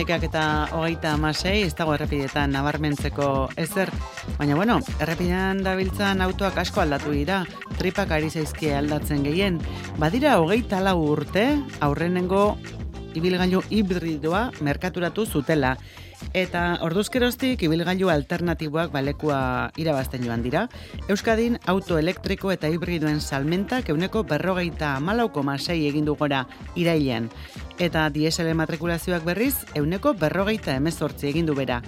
11:26, ez dago errepidetan nabarmentzeko ezer. Baina bueno, errepidean dabiltzan autoak asko aldatu dira, tripak ari zaizkie aldatzen gehien. Badira 24 urte, aurrenengo ibilgailu hibridoa merkaturatu zutela. Eta orduzkeroztik ibilgailu alternatiboak balekua irabazten joan dira. Euskadin auto elektriko eta hibridoen salmentak 40,4,6 egin du gora irailean. Eta diesel matrikulazioak berriz 40,18 egin du bera.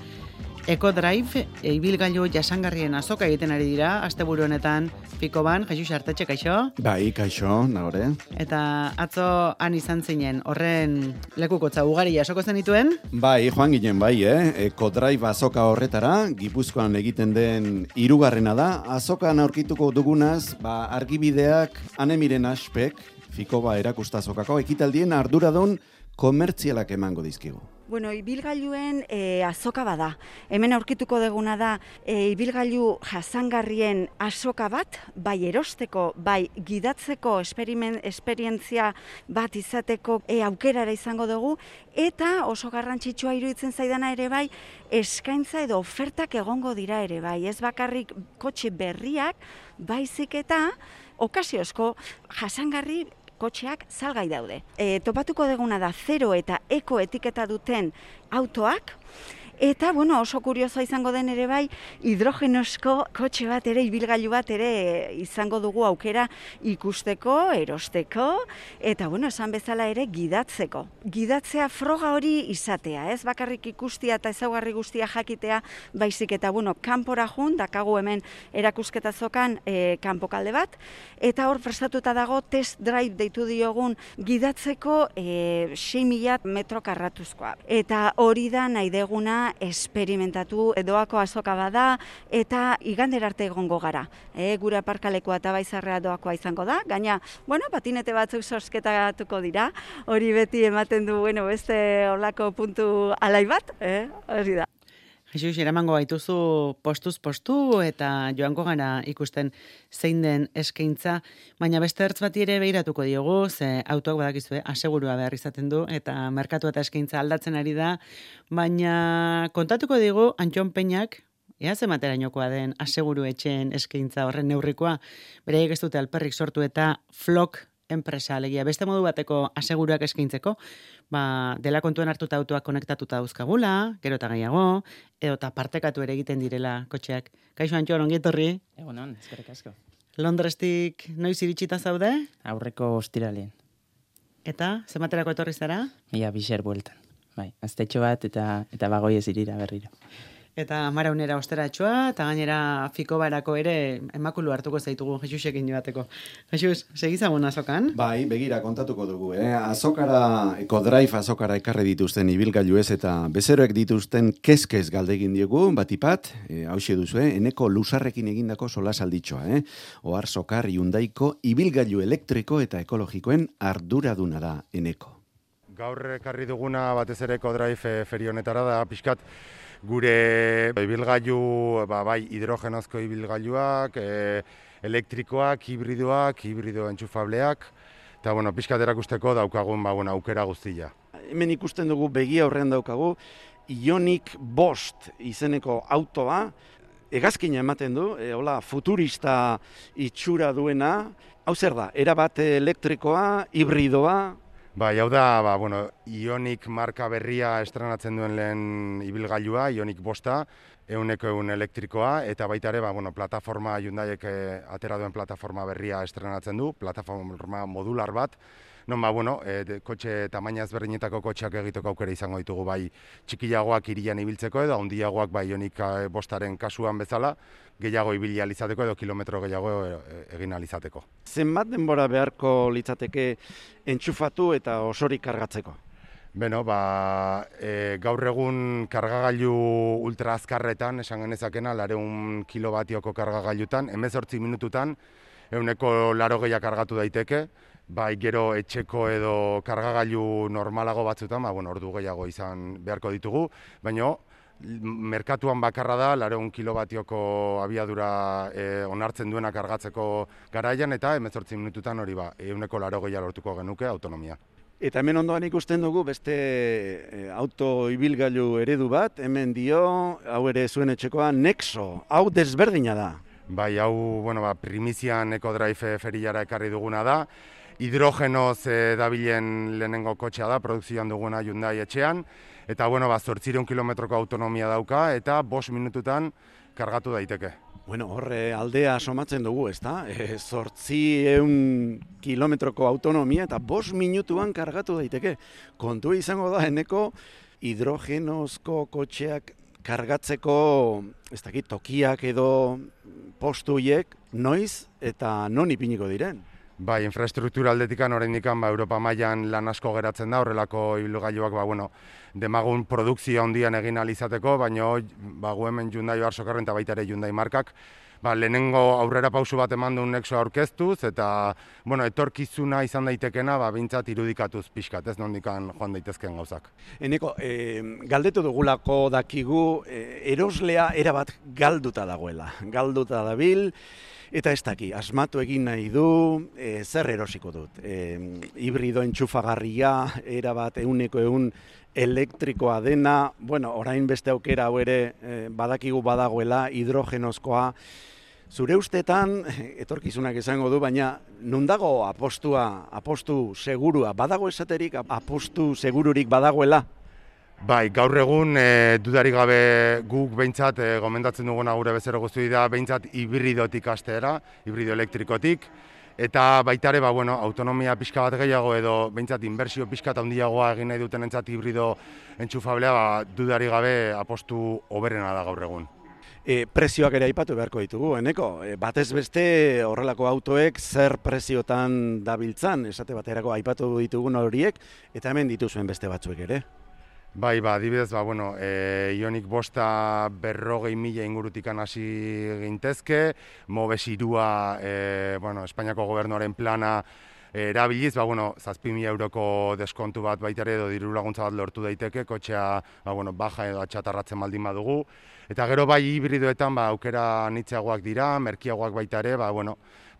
EcoDrive ibilgailu jasangarrien azoka egiten ari dira, asteburu honetan Fikoban, Jesus Artetxe, kaixo? Bai, kaixo, nagore. Eta atzo han izan zinen, horren lekukotza ugari jasoko zenituen? Bai, joan ginen bai, EcoDrive azoka horretara, Gipuzkoan egiten den 3. da, azokan aurkituko dugunaz, argibideak Anemiren Aspek, Fikoba erakustazokako ekitaldien arduradun komertzialak emango dizkigu. Bueno, ibilgailuen azoka bada. Hemen aurkituko deguna da ibilgailu jasangarrien azoka bat, bai erosteko, bai gidatzeko esperientzia bat izateko aukerara izango dugu, eta oso garrantzitsua iruditzen zaidana ere bai, eskaintza edo ofertak egongo dira ere bai. Ez bakarrik kotxe berriak, baizik eta okasiozko jasangarri kotxeak salgai daude. Topatuko deguna da 0 eta eko etiketa duten autoak, eta oso kuriosoa izango den ere bai, hidrogenosko kotxe bat ere, ibilgailu bat ere izango dugu aukera ikusteko, erosteko, eta esan bezala ere gidatzeko. Gidatzea froga hori izatea, ez bakarrik ikustia eta ezaugarri guztia jakitea, baizik eta kanpora jun, dakagu hemen erakusketa zokan kanpokalde bat, eta hor prestatuta dago test drive deitu diogun gidatzeko 6.000 metro karratuzkoa. Eta hori da nahi deguna esperimentatu doako azoka bada eta igander arte egongo gara. Gure aparkalekua eta baizarrea doakoa izango da, gaina, patinete batzuk sosketatuko dira, hori beti ematen du, beste olako puntu alai bat, hori da. Jesus, eramango gaituzu postuz postu eta joango gara ikusten zein den eskaintza, baina beste ertz bati ere behiratuko diogu, ze autoak badakizue, asegurua behar izaten du, eta merkatu eta eskaintza aldatzen ari da, baina kontatuko digu Antxon Peñak, ea zematerainokoa den aseguru etxeen eskaintza horren neurrikoa, beraiek ez dute alperrik sortu eta Flock enpresa alegia, beste modu bateko aseguruak eskaintzeko, dela kontuan hartuta autoak konektatuta dauzkagula, gero eta gehiago, edo eta partekatu ere egiten direla kotxeak. Kaixo Antxon, ongi etorri? Egunon, eskerrik asko. Londrestik noiz iritsita zaude? Aurreko ostiralean. Eta, zematerako etorri zara? Ia biser bueltan. Bai, aztetxo bat eta bagoi ez irira berriro. Eta Maraunera osteratxoa, eta gainera Fikobarako ere emakulu hartuko zaitugu Jesusekin joateko. Jesus, segizagun azokan? Bai, begira kontatuko dugu. Azokara, EcoDrive azokara ekarri dituzten ibilgailuez eta bezeroek dituzten kezkez galdegin diogu, batipat, hauxe duzu, eneko lusarrekin egindako solasalditxoa. Ohar Sokar Hyundaiko ibilgailu elektriko eta ekologikoen arduraduna da eneko. Gaur ekarri duguna batez ere EcoDrive ferionetara da, pixkat, gure ibilgailu, bai hidrogenozko ibilgailuak, elektrikoak, hibrido entxufableak, eta pixkat erakusteko daukagun aukera guztia. Hemen ikusten dugu begi aurrean daukagu, Ioniq 5 izeneko autoa, hegazkina ematen du, futurista itxura duena, hau zer da, erabat elektrikoa, hibridoa? Bai, hau da, Ioniq marka berria estrenatzen duen lehen ibilgailua, Ioniq 5, 100% elektrikoa, eta baita ere, plataforma Hyundaiek atera duen plataforma berria estrenatzen du, plataforma modular bat, kotxe tamaina ezberdinetako kotxeak egiteko aukera izango ditugu, bai txikiagoak hirian ibiltzeko edo handiagoak bai Ioniq 5aren kasuan bezala, gehiago ibili alizateko edo kilometro gehiago egin alizateko. Zenbat denbora beharko litzateke entxufatu eta osorik kargatzeko? Gaur egun kargagailu ultra azkarretan, esan genezakena, 200 kilobatioko kargagailutan, 18 minututan, 180 kargatu daiteke, bai gero etxeko edo kargagailu normalago batzutan, ordu gehiago izan beharko ditugu, baina merkatuan bakarra da, 200 kilobatioko abiadura onartzen duena kargatzeko garaian, eta 18 minututan hori 180 lortuko genuke autonomia. Eta hemen ondoan ikusten dugu beste auto ibilgailu eredu bat, hemen dio, hau ere zuen etxekoa, Nexo, hau desberdina da. Bai, hau, primizian EcoDrive feriara ekarri duguna da. Hidrogenoz dabilen lehenengo kotxea da, produkzioan duguna Hyundai etxean. Eta, 800 kilometroko autonomia dauka eta 5 minututan kargatu daiteke. Horre aldea somatzen dugu, ezta? 800 kilometroko autonomia eta 5 minutuan kargatu daiteke. Kontua izango da, eneko hidrogenozko kotxeak kargatzeko, ez dakit, tokiak edo postuiek noiz eta non ipiniko diren? Bai, infrastruktura aldetikan oraindikan Europa mailan lan asko geratzen da, horrelako ibilgailuak demagun produkzio handian egin ahal izateko, baina gu hemen Hyundai Arsokarren eta baita ere Hyundai markak lehenengo aurrera pausu bat eman duen Nexo aurkeztuz eta etorkizuna izan daitekena behintzat irudikatuz pixkat, ez nondikan joan daitezken gauzak. Eneko, galdetu dugulako dakigu eroslea erabat galduta dagoela, galduta dabil. Eta ez daki, asmatu egin nahi du, zer erosiko dut. Hibrido entxufagarria, erabat 100% elektrikoa dena, orain beste aukera hau ere badakigu badagoela, hidrogenozkoa. Zure ustetan, etorkizunak izango du, baina non dago apostu segurua, badago esaterik apostu segururik badagoela? Bai, gaur egun dudarik gabe guk behintzat gomendatzen duguna gure bezero guzti da behintzat hibridotik hastera, hibrido elektrikotik, eta baita ere autonomia pixka bat gehiago edo behintzat inbertsio pixka eta handiagoa egin nahi duten entzat hibrido entxufablea dudarik gabe apostu hoberena da gaur egun. Prezioak ere aipatu beharko ditugu, eneko, batez beste horrelako autoek zer preziotan dabiltzan, esate baterako aipatu ditugun horiek, eta hemen dituzuen beste batzuek ere. Bai, adibidez, Ioniq 5 40.000 ingurutikan hasi gintezke, Mobes 3 Espainiako gobernuaren plana erabiliz, 7.000 euroko deskontu bat baita ere edo diru laguntza bat lortu daiteke, kotxea baja edo atxatarratzen baldin badugu. Eta gero bai hibridoetan aukera anitzagoak dira, merkiagoak baita ere,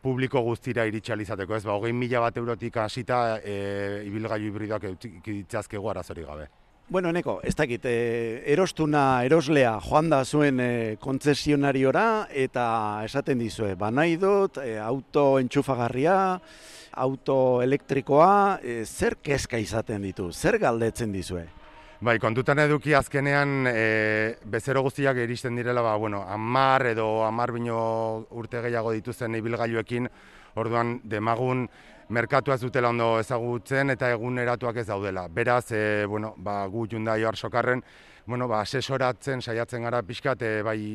publiko guztira iritsi ahal izateko, ez 20.000 bat eurotik hasita ibilgailu hibridoak ditzazkegu arazorik gabe. Eneko, ez dakit, eroslea joan da zuen kontzesionariora eta esaten dizue, nahi dut, auto entxufagarria, auto elektrikoa, zer kezka izaten ditu, zer galdetzen dizue? Bai, kontutan eduki azkenean bezero guztiak iristen direla, 10 edo 10 bino urte gehiago dituzten ibilgailuekin, orduan demagun merkatua ez dutela ondo ezagutzen eta eguneratuak ez daudela. Beraz, gu Hyundai Arsokarren, asesoratzen saiatzen gara pixkat,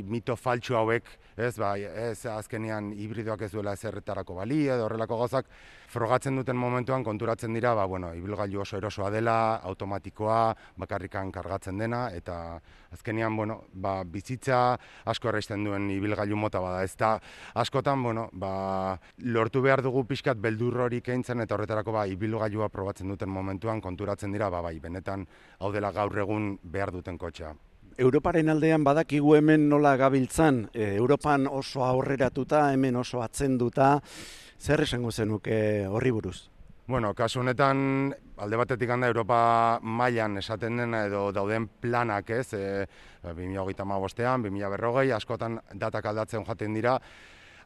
mito faltsu hauek, ez azkenean hibridoak ez duela ezerretarako bali edo horrelako gauzak, frogatzen duten momentuan konturatzen dira, ibilgailu oso erosoa dela, automatikoa, bakarrikan kargatzen dena, eta azkenean, bizitza asko erraisten duen ibilgailu mota bada. Ez da, askotan, lortu behar dugu pixkat beldur hori keintzen, eta horretarako ibilgailua probatzen duten momentuan konturatzen dira, benetan hau dela gaur egun behar duten kotxea. Europaren aldean badakigu hemen nola gabiltzan, Europan oso aurreratuta, hemen oso atzenduta, zer esango zenuke horri buruz? Kasu honetan, alde batetik handa Europa mailan esaten dena edo dauden planak, ez, 2035ean, 2040, askotan datak aldatzen jaten dira.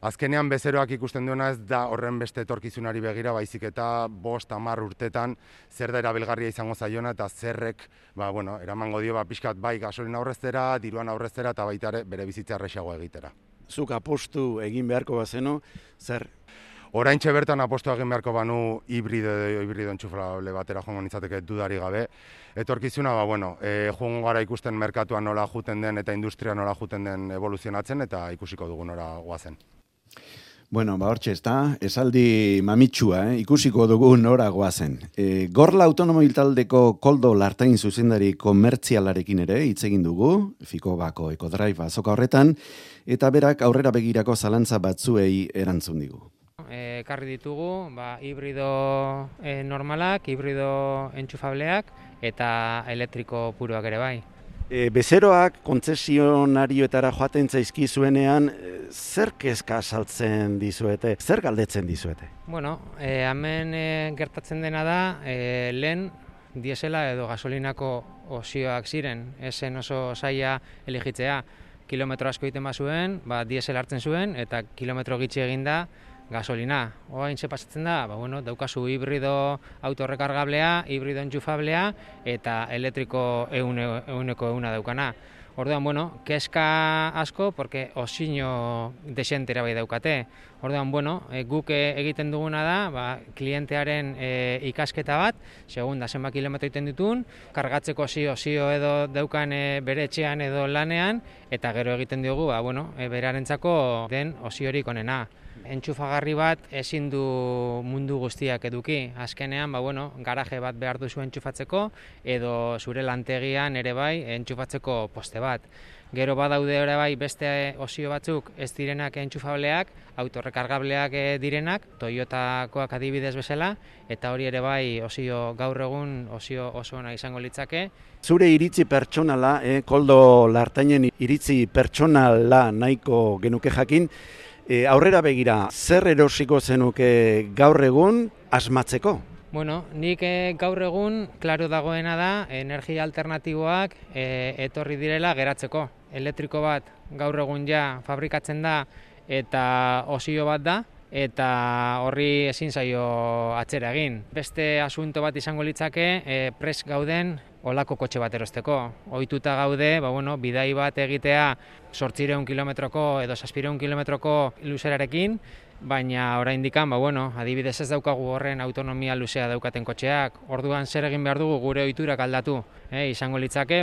Azkenean bezeroak ikusten duena ez da horren beste etorkizunari begira, baizik eta 5-10 urtetan zer da erabilgarria izango zaiona eta zerrek eramango dio pixkat bai gasolina aurreztera, diruan aurreztera eta baita ere bere bizitza errazago egitera. Zuk apostu egin beharko bazenu, zer? Oraintxe bertan apostu egin beharko banu hibrido entxufable batera joango nintzateke dudari gabe. Etorkizuna, joango gara ikusten merkatuan nola juten den eta industria nola juten den evoluzionatzen eta ikusiko dugu nora goazen. Hortxe ez da, esaldi mamitsua, ikusiko dugu nora goazen. Gorla autonomil taldeko Koldo Lartain zuzendari komertzialarekin ere hitz egin dugu, Fikobako EcoDrive azoka horretan, eta berak aurrera begirako zalantza batzuei erantzun digu. Ekarri ditugu, hibrido normalak, hibrido entxufableak eta elektriko puruak ere bai. Bezeroak kontzesionarioetara joaten zaizkizuenean, zer kezka saltzen dizuete, zer galdetzen dizuete? Bueno, hemen gertatzen dena da, lehen diesela edo gasolinako osioak ziren, esen oso zaila eligitzea, kilometro asko egiten bazuen, diesel hartzen zuen, eta kilometro gitxi eginda gasolina. Orain ze pasatzen da, daukazu hibrido autorrekargablea, hibrido entxufablea eta elektriko ehuneko ehuna daukana. Orduan, kezka asko, porque osino desentera bai daukate. Orduan, guk egiten duguna da, klientearen ikasketa bat, segunda zenbat kilometro egiten ditun, kargatzeko osio edo daukan bere etxean edo lanean, eta gero egiten dugu, berarentzako den osiorik onena. Entxufagarri bat ezin du mundu guztiak eduki. Azkenean, garaje bat behar duzu entxufatzeko edo zure lantegian ere bai entxufatzeko poste bat. Gero badaude ere bai beste osio batzuk ez direnak entxufableak, autorrekargableak direnak, Toyotakoak adibidez bezala, eta hori ere bai osio gaur egun osio oso ona izango litzake. Zure iritzi pertsonala, Koldo Lartainen iritzi pertsonala nahiko genuke jakin, aurrera begira, zer erosiko zenuke gaur egun asmatzeko? Nik gaur egun, klaro dagoena da, energia alternatiboak etorri direla geratzeko. Elektriko bat gaur egun ja fabrikatzen da eta osio bat da, eta horri ezin zaio atzera egin. Beste asunto bat izango litzake, prest gauden olako kotxe bat erosteko. Ohituta gaude, bidai bat egitea 800 kilometroko edo 700 kilometroko luzerarekin, baina oraindik adibidez ez daukagu horren autonomia luzea daukaten kotxeak. Orduan zer egin behar dugu gure ohiturak aldatu. Izango litzake,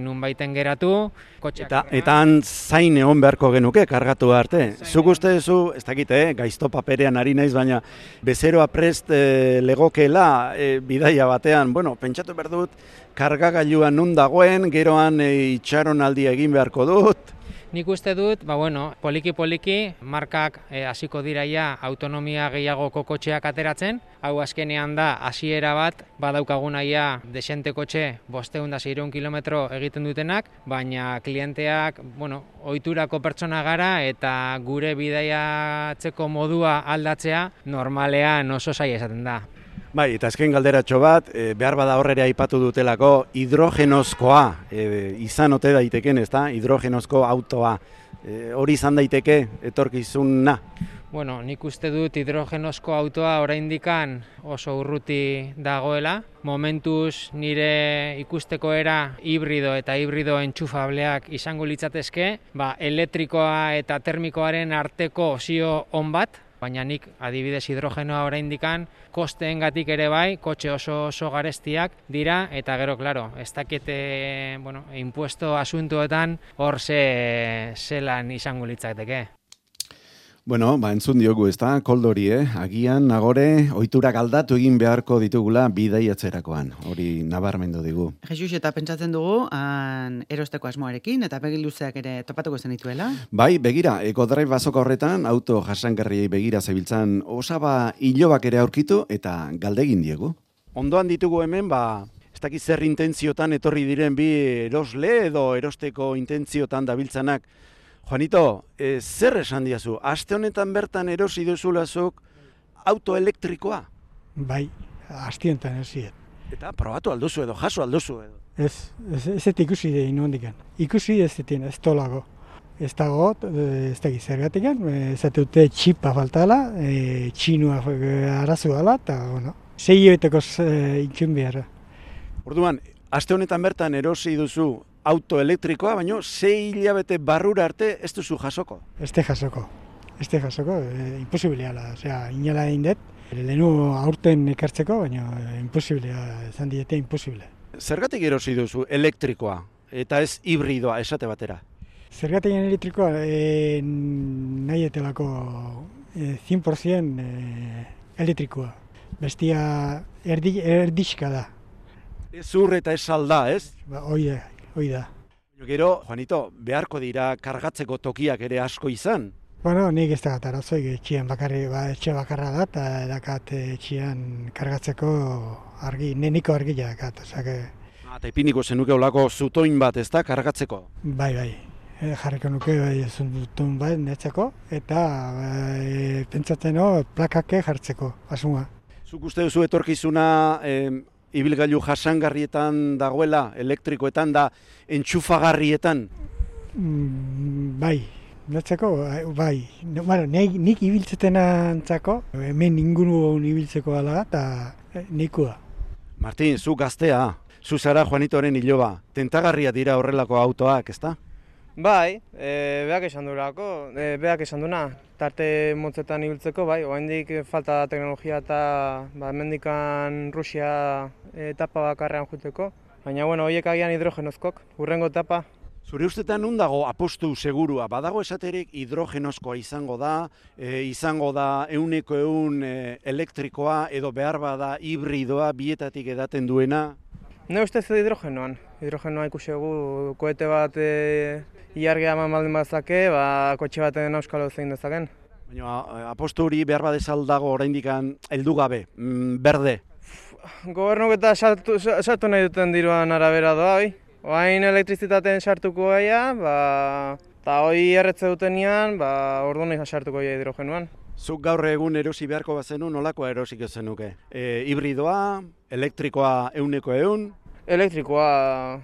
nunbaiten geratu, kotxeak. Eta han zain egon beharko genuke kargatu arte. Zuk uste duzu, ez dakit, gaizto paperean ari naiz, baina bezeroa prest legokeela bidaia batean, pentsatu behar dut, kargagailua nun dagoen, geroan itxaronaldia egin beharko dut. Nik uste dut, poliki-poliki markak hasiko diraia autonomia gehiagoko kotxeak ateratzen. Hau azkenean da, hasiera bat, badaukagunaia desente kotxe 500-600 kilometro egiten dutenak, baina klienteak, ohiturako pertsona gara eta gure bidaiatzeko modua aldatzea normalean oso zaila esaten da. Bai, eta azken galderatxo bat, behar bada horrera aipatu dutelako, hidrogenozkoa izan ote daiteken, ezta? Hidrogenozko autoa. Hori izan daiteke etorkizuna? Nik uste dut hidrogenozko autoa oraindikan oso urruti dagoela. Momentuz nire ikusteko era hibrido eta hibrido entxufableak izango litzatezke, elektrikoa eta termikoaren arteko osio on bat, baina nik adibidez hidrogenoa oraindikan kosteengatik ere bai, kotxe oso garestiak dira, eta gero, ez dakite, impuesto asuntoetan hor zelan izango litzateke. Entzun diogu, ezta, Koldori, agian nagore ohiturak aldatu egin beharko ditugula bidaiatzerakoan, hori nabarmendu digu. Jesus, eta pentsatzen dugu, erosteko asmoarekin, eta begi luzeak ere topatuko zen dituela? Bai, begira, EcoDrive azoka horretan, auto jasangarriei begira zebiltzan osaba hilobak ere aurkitu, eta galdegin diegu. Ondoan ditugu hemen, ez dakit zer intentziotan etorri diren bi erosle edo erosteko intentziotan dabiltzanak. Juanito, zer esan diazu? Aste honetan bertan erosi duzulazuk auto elektrikoa? Bai, aste honetan erosiet. Eta probatu alduzu edo, jaso alduzu edo? Ez ikusi da inondikan. Ikusi ez ditien, ez tolago. Ez dago, ez dakit zergatikan, ez dute txipa faltala, txinua arazu gala, eta, 6 hilabeteko ikun behar. Orduan, aste honetan bertan erosi duzu auto elektrikoa, baina 6 hilabete barrura arte ez duzu jasoko? Ez jasoko, imposibiliala, inala egin dut. Lehenu aurten ekartzeko, baina imposibilea, ezan diete imposibile. Zergatik erosi duzu elektrikoa eta ez hibridoa esate batera? Zergatik elektrikoa nahi etelako 100% elektrikoa. Bestia erdixka da. Ez ur eta ez salda, ez? Hoi da. Gero, Juanito, beharko dira kargatzeko tokiak ere asko izan? Nik ez dakat arazoi, etxean etxe bakarra da, eta dakat etxean kargatzeko niko argia dakat. Eta ipiniko zenuke olako zutoin bat, ez da, kargatzeko? Bai. Jarriko nuke zutun bat netzeko, eta pentsatzen plakake jartzeko, asuma. Zuk uste duzu etorkizuna ibilgailu jasangarrietan dagoela, elektrikoetan da, entxufagarrietan? Bai, netzeko, bai. Bueno, nik ibiltzeten antzako, hemen inguru ibiltzeko ala eta nikua. Martin, zu gaztea, zu zara Juanitoren iloba, tentagarria dira horrelako autoak, ezta? Bai, beak esan duna, tarte motzetan ibiltzeko, bai, oraindik falta da teknologia eta hemendikan Rusia etapa bakarrean joateko, baina bueno, horiek agian hidrogenozkok, hurrengo etapa. Zure ustetan nun dago apostu segurua, badago esaterik hidrogenozkoa izango da 100% elektrikoa edo behar bada hibridoa bietatik edaten duena? Ne ustez hidrogenoa ikusi dugu, koete bat ilargia eman baldin bazake, kotxe baten auskalo zein dezaken. Baina apostu hori behar badezal dago oraindikan heldu gabe, berde. Gobernuk eta sartu nahi duten diruan arabera doa, oi? Oain elektrizitateen sartuko gaia, eta hoi erretze dutenean, orduan sartuko gaia hidrogenoan. Zuk gaur egun erosi beharko bazenu, nolakoa erosiko zenuke? Hibridoa, elektrikoa 100%? Elektrikoa,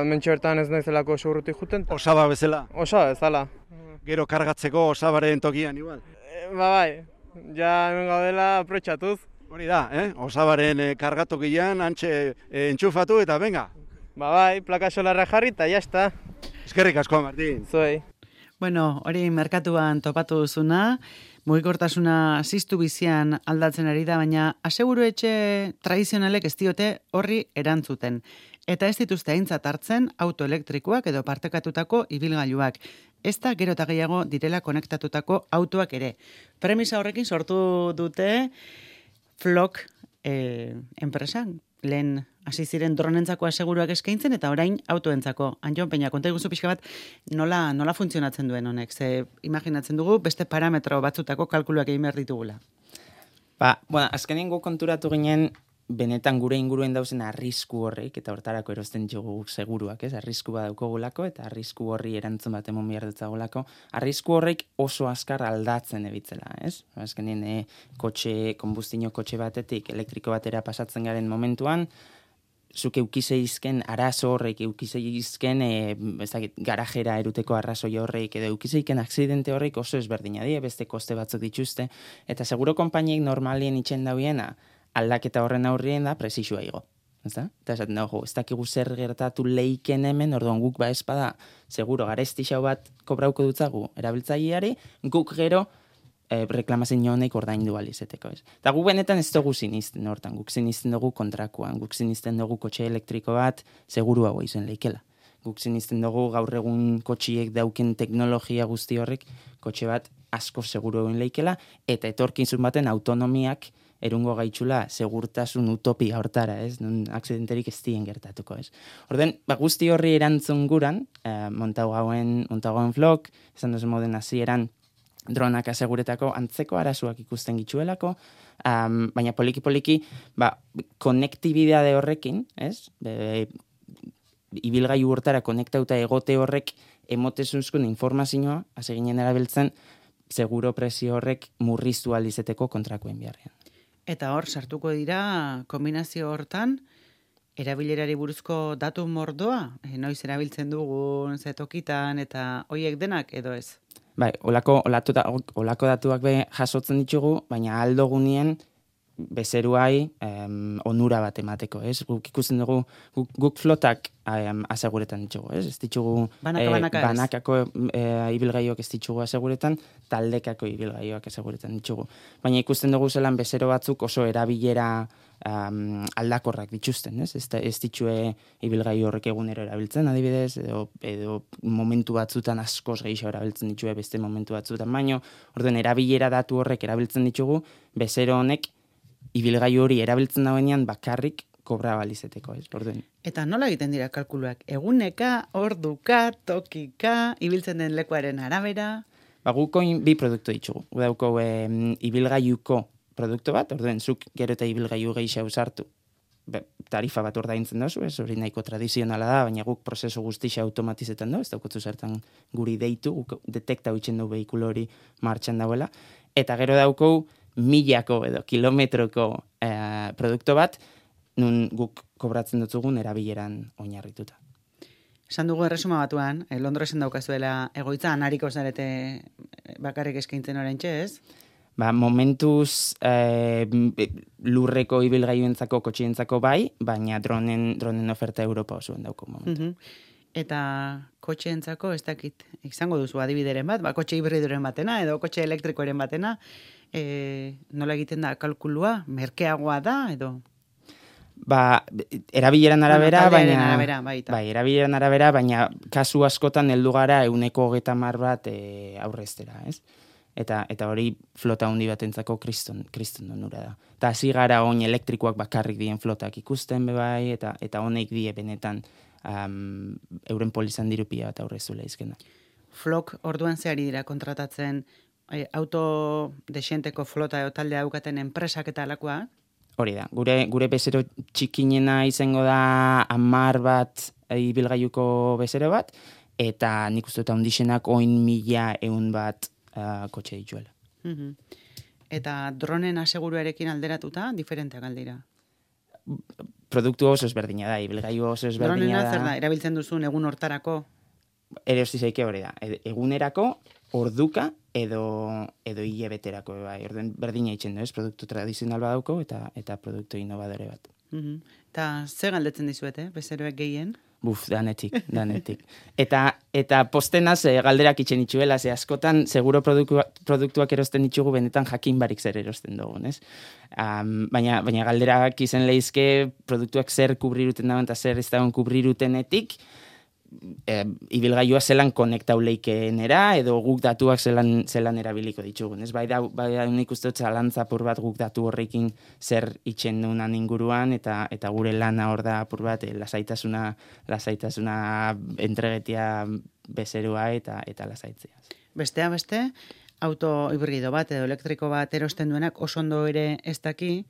mentxe bertan ez naizelako segurrutik juten. Osaba bezala? Osaba bezala. Gero kargatzeko osabaren tokian igual? Bai, ja hemen gaudela aprotxatuz. Hori da, osabaren kargatokian, antxe entxufatu eta venga. Bai, plaka solarra jarri eta jazta. Eskerrik asko, Martin. Zuei. Bueno, hori merkatuan topatu duzuna, mugikortasuna ziztu bizian aldatzen ari da, baina aseguru etxe tradizionalek ez diote horri erantzuten. Eta ez dituzte aintzat hartzen autoelektrikoak edo partekatutako ibilgailuak. Ez da gero eta gehiago direla konektatutako autoak ere. Premisa horrekin sortu dute Flock enpresan. Lehen hasi ziren dronentzako aseguruak eskaintzen eta orain autoentzako. Anjon Peña, konta iguzu pixka bat nola funtzionatzen duen honek? Ze imaginatzen dugu beste parametro batzutako kalkuluak egin behar ditugula. Azkenien konturatu ginen benetan gure inguruen dauzen arrisku horrek, eta hortarako erosten ditugu seguruak, arrisku bat daukagulako, eta arrisku horri erantzun bat emon behar dutzagulako, arrisku horrek oso azkar aldatzen ebitzela, ez? Azkenien konbustino kotxe batetik elektriko batera pasatzen garen momentuan, zuk eukizeizken arazo horrek, eukizeizken garajera eruteko arrazoi horrek, edo eukizeiken aksidente horrek oso ezberdina die, beste koste batzuk dituzte, eta seguro konpainiek normalien itxen dauiena, aldaketa horren aurrien da presizua igo. Eta esaten dago, ez dakigu zer gertatu leiken hemen, orduan guk espada, seguro garesti xau bat kobrauko dutzagu erabiltzaileari, guk gero reklamazin honek ordaindu alizeteko. Eta guk benetan ez dugu sinisten hortan, guk sinisten dugu kontrakuan, guk sinisten dugu kotxe elektriko bat segurua izan leikela. Guk sinisten dugu gaur egun kotxiek dauken teknologia guzti horrek, kotxe bat asko seguru egin leikela, eta etorkizun baten autonomiak erungo gaitzula segurtasun utopia hortara, nun aksidenterik ez dien gertatuko, Orden, guzti horri erantzun guran, montagoen Flock, esan duzu moden hasieran dronak aseguretako antzeko arazoak ikusten gitzuelako, baina poliki-poliki, konektibidade horrekin, ibilgailu hortara konektauta egote horrek emotezunzkun informazioa, hasi ginen erabiltzen, seguro presio horrek murriztu alizeteko kontrakoen biharrean. Eta hor, sartuko dira, kombinazio hortan, erabilerari buruzko datu mordoa? Noiz erabiltzen dugun, zetokitan, eta hoiek denak edo ez? Bai, olako datuak jasotzen ditugu, baina aldogunien bezeruai onura bat emateko, Guk ikusten dugu, guk flotak aseguretan ditugu, Ez ditugu banakako ibilgaioak ez ditugu aseguretan, taldekako ibilgaioak aseguretan ditugu. Baina ikusten dugu zelan bezero batzuk oso erabilera aldakorrak dituzten, Ez ditue ibilgailu horrek egunero erabiltzen, adibidez, edo momentu batzutan askoz gehiago erabiltzen ditue beste momentu batzutan, baino, orduan erabilera datu horrek erabiltzen ditugu, bezero honek ibilgailu hori erabiltzen dauenean bakarrik kobra balizeteko, Orduan. Eta nola egiten dira kalkuluak? Eguneka, orduka, tokika, ibiltzen den lekuaren arabera? Guko bi produktu ditugu. Dauko ibilgailuko produktu bat, orduan zuk gero eta ibilgailu gehiago sartu, tarifa bat ordaintzen dozu, ez hori nahiko tradizionala da, baina guk prozesu guztia automatizetan du, ez daukotzu zertan guri deitu, guk detekta huitzen du behikulo hori martxan dauela, eta gero daukou milako edo kilometroko produktu bat, nun guk kobratzen dutzugun erabileran oinarrituta. Esan dugu erresuma batuan, Londresen daukazuela egoitza, anariko zarete bakarrik eskaintzen orentxe, ez? Momentuz lurreko ibilgailuentzako, kotxientzako bai, baina dronen oferta Europa osoan dauko momentu. Eta kotxeentzako ez dakit, izango duzu adibideren bat, kotxe hibridoren batena edo kotxe elektrikoaren batena, nola egiten da kalkulua, merkeagoa da edo? Erabileran arabera, erabileran arabera, baina kasu askotan heldu gara 130 bat aurreztera, ez? Eta hori flota handi batentzako kriston onura da. Eta hasi gara oin elektrikoak bakarrik dien flotak ikusten bebai, eta honek die benetan euren polizan dirupia bat aurrezula izkena. Flok orduan zehari dira kontratatzen auto desenteko flota edo taldea daukaten enpresak eta alakoa? Hori da, gure bezero txikinena izango da 10 bat ibilgailuko bezero bat, eta nik uste dut handixenak 1.100 bat kotxe dituela. Eta dronen aseguruarekin alderatuta, diferenteak aldira? Produktu oso ezberdina da, ibilgailu oso ezberdina da. Dronena zer da, erabiltzen duzun egun hortarako? Erosi zaike hori da, egunerako, orduka edo hilebeterako, orden berdina itzen du, ez? Produktu tradizional badauko eta produktu innovadore bat. Eta ze galdetzen dizuete, bezeroek gehien? Danetik. Eta postenaz galderak itxen itxuela, ze askotan seguro produktuak erosten ditugu benetan jakin barik zer erosten dugun, ez? Baina galderak izen lehizke produktuak zer kubriruten dagoen eta zer ez dagoen kubrirutenetik, ibilgailua zelan konektau leikeenera edo guk datuak zelan erabiliko ditugun. Ez bai nik uste dut zalantzapur bat guk datu horrekin zer itxen dunan inguruan eta gure lana hor da apur bat lasaitasuna entregetia bezerua eta lasaitzea. Besteak beste, auto hibrido bat edo elektriko bat erosten duenak oso ondo ere ez daki,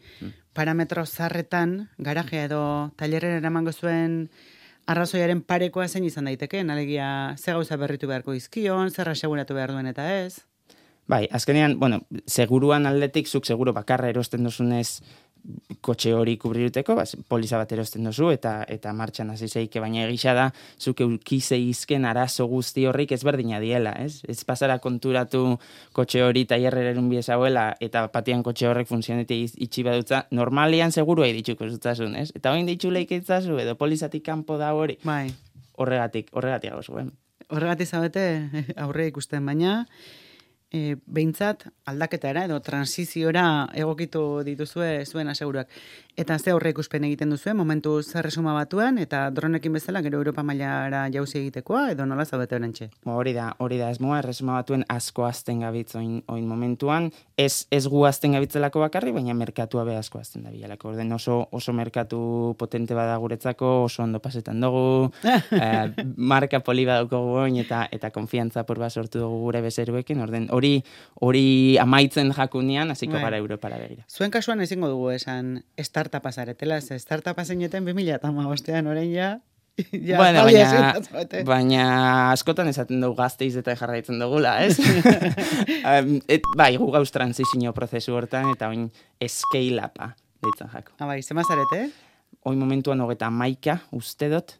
parametro zarretan garajea edo tailerrera eramango zuen arrazoiaren parekoa zein izan daiteke, alegia ze gauza berritu beharko izkion, zer aseguratu behar duen eta ez? Bai, azkenean, seguruan aldetik, zuk seguro bakarra erosten duzunez kotxe hori kubriruteko, poliza bat erosten duzu eta martxan hasi zeike, baina egisa da, zuk eukize izken arazo guzti horrik ezberdina diela, ez? Ez pasara konturatu kotxe hori tailerrerun biezauela eta patian kotxe horrek funtzionete itxi badutza, normalian seguru dituko zutasun, ez? Eta hoin ditxu leikitzazu edo polizatik kanpo da hori. Bai. Horregatik hau zuen. Horregatik zabete aurre ikusten, baina behintzat aldaketara edo transiziora egokitu dituzue zuen aseguruak. Eta ze aurre ikuspen egiten duzue, momentu zerresuma batuan, eta dronekin bezala gero Europa mailara jauzi egitekoa, edo nola zaudete orentxe? Hori da esmoa, erresuma batuen asko azten gabitz oin momentuan, ez gu azten gabitzelako bakarri, baina merkatua be asko azten da bilalako. Orden oso merkatu potente bada guretzako, oso ondo pasetan dugu, marka poli badaukogu oin, eta konfiantza porba sortu dugu gure bezeruekin, orden hori amaitzen jakunean, hasiko gara Europara begira. Zuen kasuan ezingo dugu esan startupa zaretela, startupa zeineten 2015ean orain ja. Baina askotan esaten dugu Gasteiz eta jarraitzen dugula, ez? Bai, gu gauz transizio prozesu hortan eta oin scale upa ditzen jako. Bai, zema zarete? Oin momentuan 31 uste dut,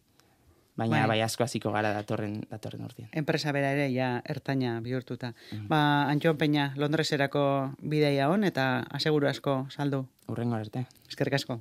baina bai asko hasiko gara datorren urtean. Enpresa bera ere ja ertaina bihurtuta. Antxon Peña, Londreserako bidaia on eta aseguru asko saldu. Hurrengo arte. Eskerrik asko.